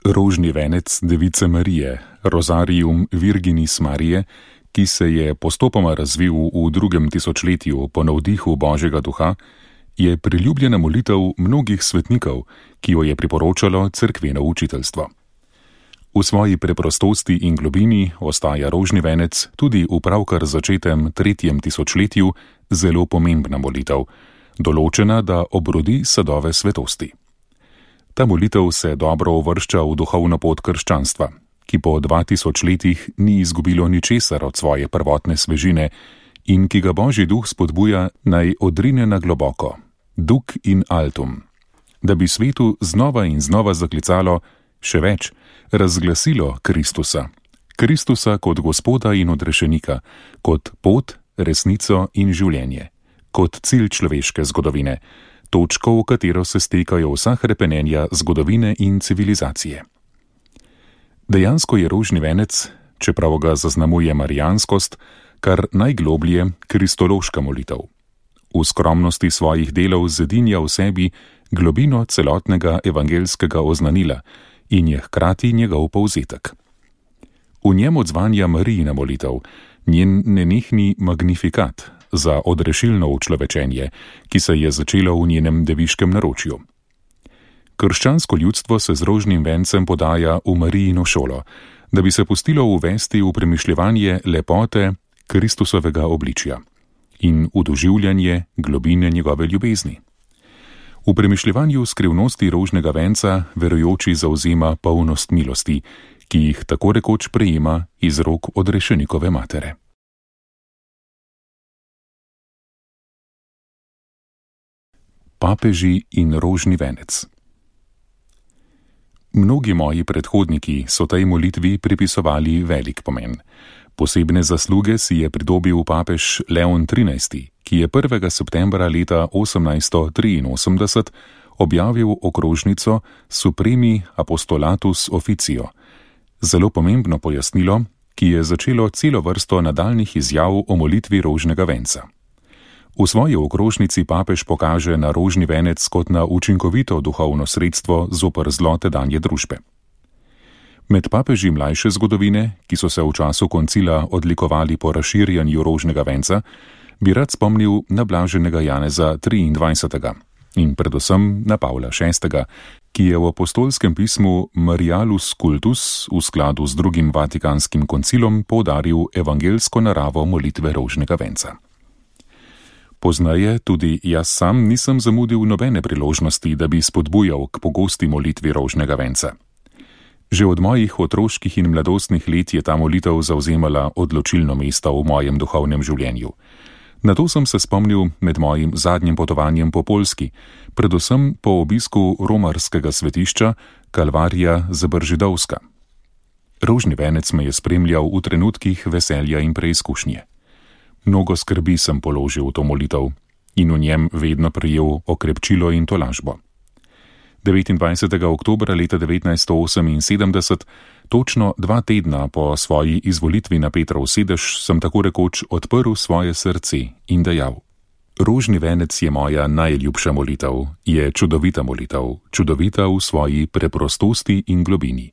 Rožni venec Device Marije, Rosarium Virginis Mariae, ki se je postopoma razvil v 2. tisočletju po navdihu Božjega duha, je priljubljena molitev mnogih svetnikov, ki jo je priporočalo cerkveno učiteljstvo. V svoji preprostosti in globini ostaja rožni venec tudi v pravkar začetem 3. tisočletju zelo pomembna molitev, določena, da obrodi sadove svetosti. Ta molitev se dobro uvršča v duhovno pot krščanstva, ki po 2000 letih ni izgubilo ničesar od svoje prvotne svežine in ki ga Božji duh spodbuja naj odrine na globoko, duc in altum, da bi svetu znova in znova zaklicalo, še več, razglasilo Kristusa. Kristusa kot Gospoda in odrešenika, kot pot, resnico in življenje, kot cilj človeške zgodovine, točko, v katero se stekajo vsa hrepenenja zgodovine in civilizacije. Dejansko je rožni venec, čeprav ga zaznamuje marijanskost, kar najgloblje kristološka molitev. V skromnosti svojih delov zedinja v sebi globino celotnega evangelskega oznanila in je hkrati njegov povzetek. V njem odzvanja Marijina molitev, njen nenehni magnifikat za odrešilno učlovečenje, ki se je začelo v njenem deviškem naročju. Krščansko ljudstvo se z rožnim vencem podaja v Marijino šolo, da bi se pustilo uvesti v premišljevanje lepote Kristusovega obličja in v doživljanje globine njegove ljubezni. V premišljevanju skrivnosti rožnega venca verujoči zavzema polnost milosti, ki jih tako rekoč prejema iz rok odrešenikove matere. Papeži in rožni venec. Mnogi moji predhodniki so tej molitvi pripisovali velik pomen. Posebne zasluge si je pridobil papež Leon XIII., ki je 1. septembra leta 1883 objavil okrožnico Supremi Apostolatus Officio, zelo pomembno pojasnilo, ki je začelo celo vrsto nadaljnjih izjav o molitvi rožnega venca. V svoji okrožnici papež pokaže na rožni venec kot na učinkovito duhovno sredstvo zoper zlo tedanje družbe. Med papeži mlajše zgodovine, ki so se v času koncila odlikovali po razširjanju rožnega venca, bi rad spomnil na blaženega Janeza 23. in predvsem na Pavla VI., ki je v apostolskem pismu Marialus Cultus v skladu z 2. Vatikanskim koncilom poudaril evangelsko naravo molitve rožnega venca. Poznaje tudi jaz sam nisem zamudil nobene priložnosti, da bi spodbujal k pogosti molitvi rožnega venca. Že od mojih otroških in mladostnih let je ta molitev zavzemala odločilno mesto v mojem duhovnem življenju. Na to sem se spomnil med mojim zadnjim potovanjem po Poljski, predvsem po obisku romarskega svetišča Kalvarija Zabržidovska. Rožni venec me je spremljal v trenutkih veselja in preizkušnje. Mnogo skrbi sem položil v to molitev in v njem vedno prejel okrepčilo in tolažbo. 29. oktobra leta 1978, točno 2 tedna po svoji izvolitvi na Petrov sedež, sem tako rekoč odprl svoje srce in dejal: rožni venec je moja najljubša molitev, je čudovita molitev, čudovita v svoji preprostosti in globini.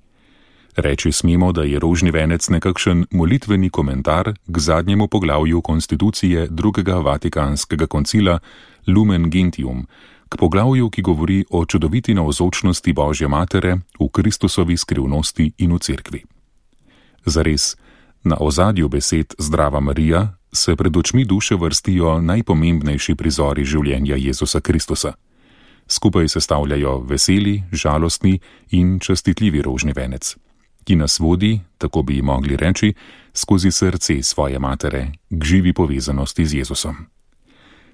Reči smemo, da je rožni venec nekakšen molitveni komentar k zadnjemu poglavju konstitucije 2. Vatikanskega koncila Lumen Gentium, k poglavju, ki govori o čudoviti navzočnosti Božje matere v Kristusovi skrivnosti in v cerkvi. Zares, na ozadju besed Zdrava Marija se pred očmi duše vrstijo najpomembnejši prizori življenja Jezusa Kristusa. Skupaj sestavljajo veseli, žalostni in častitljivi rožni venec, ki nas vodi, tako bi mogli reči, skozi srce svoje matere k živi povezanosti z Jezusom.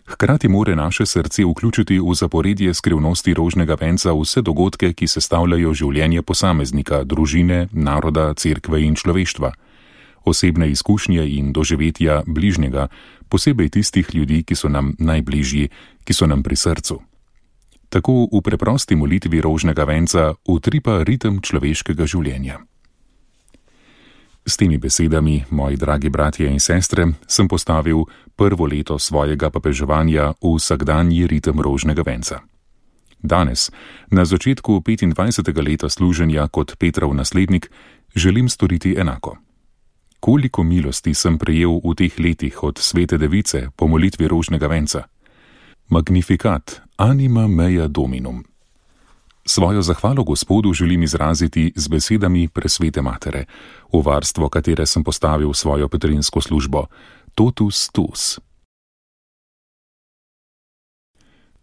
Hkrati more naše srce vključiti v zaporedje skrivnosti rožnega venca vse dogodke, ki sestavljajo življenje posameznika, družine, naroda, cerkve in človeštva, osebne izkušnje in doživetja bližnjega, posebej tistih ljudi, ki so nam najbližji, ki so nam pri srcu. Tako v preprosti molitvi rožnega venca utripa ritem človeškega življenja. S temi besedami, moji dragi bratje in sestre, sem postavil prvo leto svojega papeževanja v vsakdanji ritem rožnega venca. Danes, na začetku 25. leta služenja kot Petrov naslednik, želim storiti enako. Koliko milosti sem prejel v teh letih od Svete Device po molitvi rožnega venca. Magnificat, anima mea Dominum. Svojo zahvalo Gospodu želim izraziti z besedami Presvete Matere, v varstvo katere sem postavil svojo petrinsko službo, totus tuus.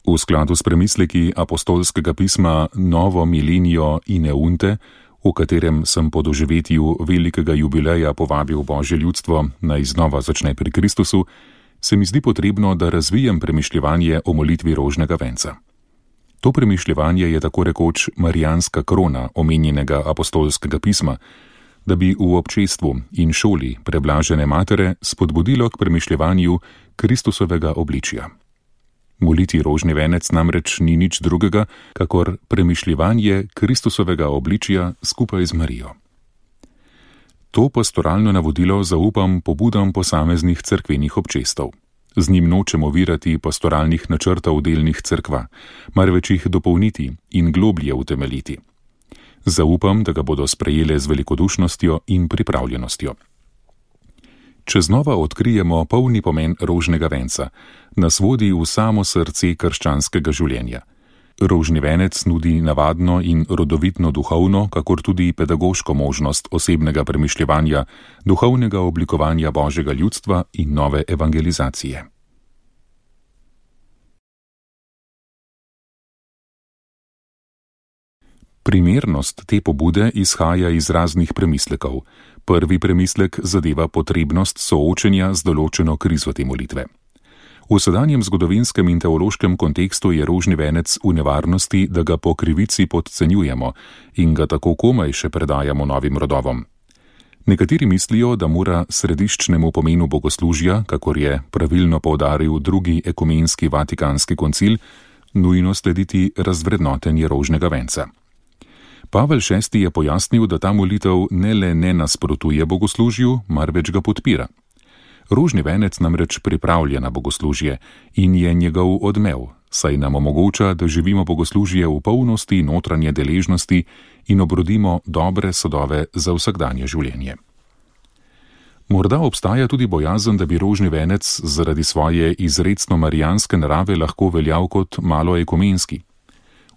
V skladu s premisleki apostolskega pisma Novo Milenio Ineunte, v katerem sem po doživetju velikega jubileja povabil Božje ljudstvo, naj znova začne pri Kristusu, se mi zdi potrebno, da razvijem premišljevanje o molitvi rožnega venca. To premišljevanje je tako rekoč marijanska krona omenjenega apostolskega pisma, da bi v občestvu in šoli preblažene matere spodbudilo k premišljevanju Kristusovega obličja. Moliti rožni venec namreč ni nič drugega, kakor premišljevanje Kristusovega obličja skupaj z Marijo. To pastoralno navodilo zaupam pobudam posameznih cerkvenih občestv. Z njim nočem ovirati pastoralnih načrtov delnih cerkva, marveč jih dopolniti in globlje utemeljiti. Zaupam, da ga bodo sprejele z velikodušnostjo in pripravljenostjo. Če znova odkrijemo polni pomen rožnega venca, nas vodi v samo srce krščanskega življenja. Rožni venec nudi navadno in rodovitno duhovno, kakor tudi pedagoško možnost osebnega premišljevanja, duhovnega oblikovanja Božjega ljudstva in nove evangelizacije. Primernost te pobude izhaja iz raznih premislekov. Prvi premislek zadeva potrebnost soočenja z določeno krizo te molitve. V sedanjem zgodovinskem in teološkem kontekstu je rožni venec v nevarnosti, da ga po krivici podcenjujemo in ga tako komaj še predajamo novim rodovom. Nekateri mislijo, da mora središčnemu pomenu bogoslužja, kakor je pravilno poudaril drugi ekumenski vatikanski koncil, nujno slediti razvrednotenje rožnega venca. Pavel VI. Je pojasnil, da ta molitev ne le ne nasprotuje bogoslužju, marveč ga podpira. Rožni venec namreč pripravlja na bogoslužje in je njegov odmev, saj nam omogoča, da živimo bogoslužje v polnosti notranje deležnosti in obrodimo dobre sadove za vsakdanje življenje. Morda obstaja tudi bojazen, da bi rožni venec zaradi svoje izrecno marijanske narave lahko veljal kot malo ekumenski.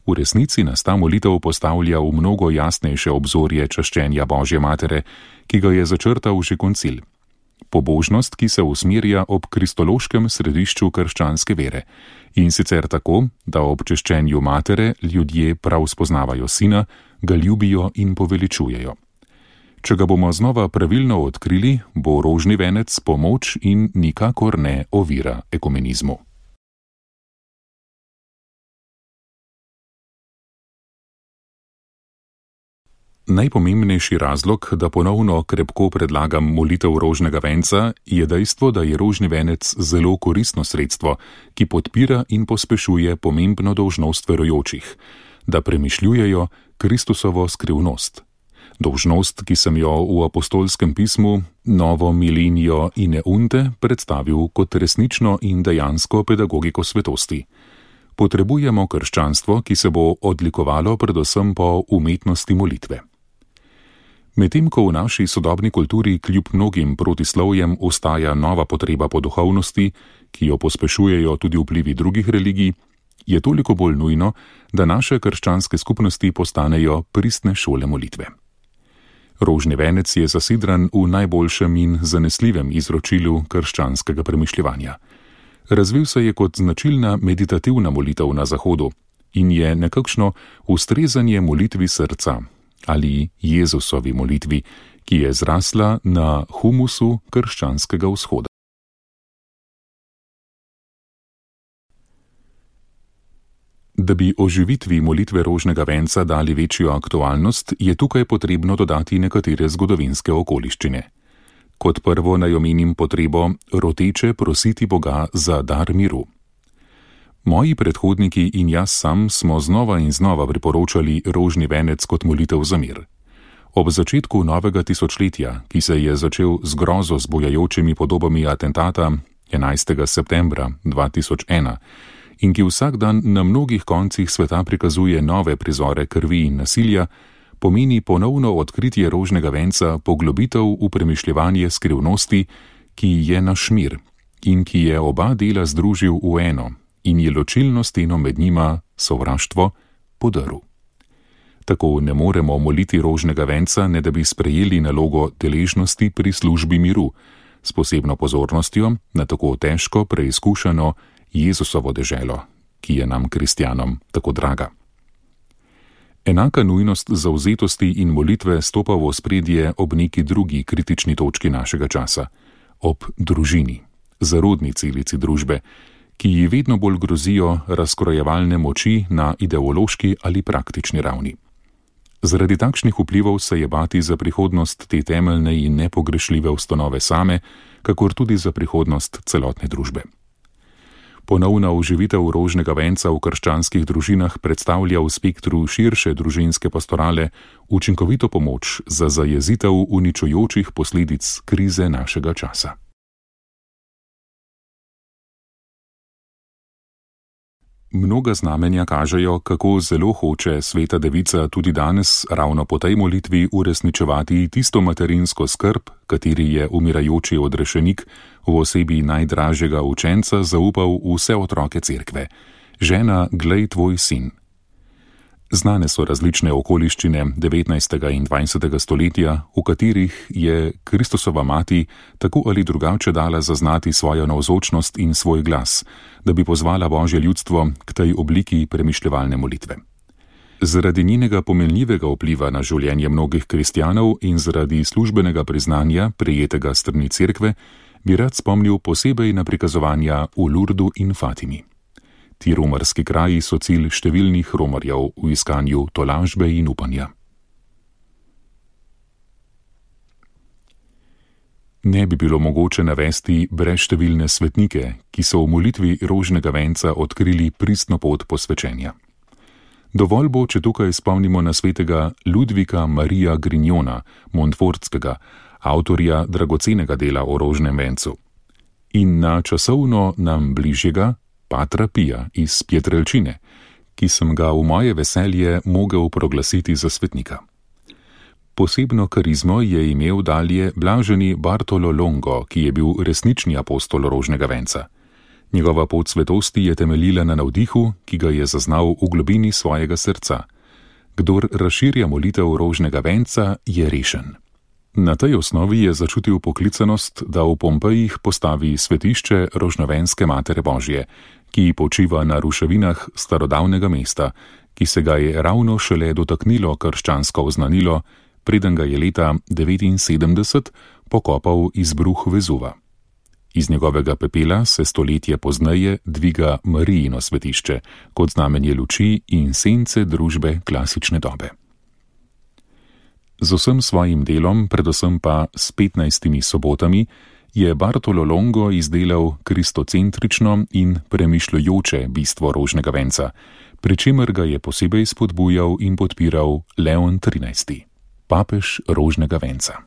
V resnici nas ta molitev postavlja v mnogo jasnejše obzorje čaščenja Božje matere, ki ga je začrtal že koncil. Pobožnost, ki se usmerja ob kristološkem središču krščanske vere, in sicer tako, da ob češčenju matere ljudje prav spoznavajo sina, ga ljubijo in poveličujejo. Če ga bomo znova pravilno odkrili, bo rožni venec pomoč in nikakor ne ovira ekumenizmu. Najpomembnejši razlog, da ponovno krepko predlagam molitev rožnega venca, je dejstvo, da je rožni venec zelo koristno sredstvo, ki podpira in pospešuje pomembno dolžnost verujočih, da premišljujejo Kristusovo skrivnost. Dolžnost, ki sem jo v apostolskem pismu Novo Milenio Ineunte predstavil kot resnično in dejansko pedagogiko svetosti. Potrebujemo krščanstvo, ki se bo odlikovalo predvsem po umetnosti molitve. Medtem ko v naši sodobni kulturi kljub mnogim protislovjem ostaja nova potreba po duhovnosti, ki jo pospešujejo tudi vplivi drugih religij, je toliko bolj nujno, da naše krščanske skupnosti postanejo pristne šole molitve. Rožni venec je zasidran v najboljšem in zanesljivem izročilu krščanskega premišljevanja. Razvil se je kot značilna meditativna molitev na Zahodu in je nekakšno ustrezanje molitvi srca ali Jezusovi molitvi, ki je zrasla na humusu krščanskega vzhoda. Da bi oživitvi molitve rožnega venca dali večjo aktualnost, je tukaj potrebno dodati nekatere zgodovinske okoliščine. Kot prvo naj omenim potrebo roteče prositi Boga za dar miru. Moji predhodniki in jaz sam smo znova in znova priporočali rožni venec kot molitev za mir. Ob začetku novega tisočletja, ki se je začel z grozo zbujajočimi podobami atentata 11. septembra 2001, in ki vsak dan na mnogih koncih sveta prikazuje nove prizore krvi in nasilja, pomeni ponovno odkritje rožnega venca poglobitev v premišljevanje skrivnosti, ki je naš mir in ki je oba dela združil v eno in je ločilno steno med njima, sovraštvo, podrl. Tako ne moremo moliti rožnega venca, ne da bi sprejeli nalogo deležnosti pri službi miru, s posebno pozornostjo na tako težko preizkušano Jezusovo deželo, ki je nam kristjanom tako draga. Enaka nujnost zavzetosti in molitve stopa v ospredje ob neki drugi kritični točki našega časa, ob družini, zarodni celici družbe, ki ji vedno bolj grozijo razkrojevalne moči na ideološki ali praktični ravni. Zaradi takšnih vplivov se je bati za prihodnost te temeljne in nepogrešljive ustanove same, kakor tudi za prihodnost celotne družbe. Ponovna oživitev rožnega venca v krščanskih družinah predstavlja v spektru širše družinske pastorale učinkovito pomoč za zajezitev uničujočih posledic krize našega časa. Mnoga znamenja kažejo, kako zelo hoče Sveta Devica tudi danes ravno po tej molitvi uresničevati tisto materinsko skrb, kateri je umirajoči odrešenik v osebi najdražjega učenca zaupal vse otroke cerkve. Žena, glej tvoj sin. Znane so različne okoliščine 19. in 20. stoletja, v katerih je Kristusova mati tako ali drugače dala zaznati svojo navzočnost in svoj glas, da bi pozvala Božje ljudstvo k tej obliki premišljevalne molitve. Zaradi njenega pomenljivega vpliva na življenje mnogih kristjanov in zaradi službenega priznanja, prejetega s strani cerkve, bi rad spomnil posebej na prikazovanja v Lurdu in Fatimi. Ti romarski kraji so cilj številnih romarjev v iskanju tolažbe in upanja. Ne bi bilo mogoče navesti brezštevilne svetnike, ki so v molitvi rožnega venca odkrili pristno pot posvečenja. Dovolj bo, če tukaj spomnimo na svetega Ludvika Marija Grignona, Montfortskega, avtorja dragocenega dela o rožnem vencu, in na časovno nam bližjega Patra Pija iz Pietrelcine, ki sem ga v moje veselje mogel proglasiti za svetnika. Posebno karizmo je imel dalje blaženi Bartolo Longo, ki je bil resnični apostol rožnega venca. Njegova pot svetosti je temeljila na navdihu, ki ga je zaznal v globini svojega srca. Kdor razširja molitev rožnega venca, je rešen. Na tej osnovi je začutil poklicanost, da v Pompejih postavi svetišče rožnovenske Matere Božje, ki počiva na ruševinah starodavnega mesta, ki se ga je ravno šele dotaknilo krščansko oznanilo, preden ga je leta 79 pokopal izbruh Vezuva. Iz njegovega pepela se stoletje pozneje dviga Marijino svetišče, kot znamenje luči in sence družbe klasične dobe. Z vsem svojim delom, predvsem pa s 15 sobotami, je Bartolo Longo izdelal kristocentrično in premišljujoče bistvo rožnega venca, pri čemer ga je posebej spodbujal in podpiral Leon XIII, papež rožnega venca.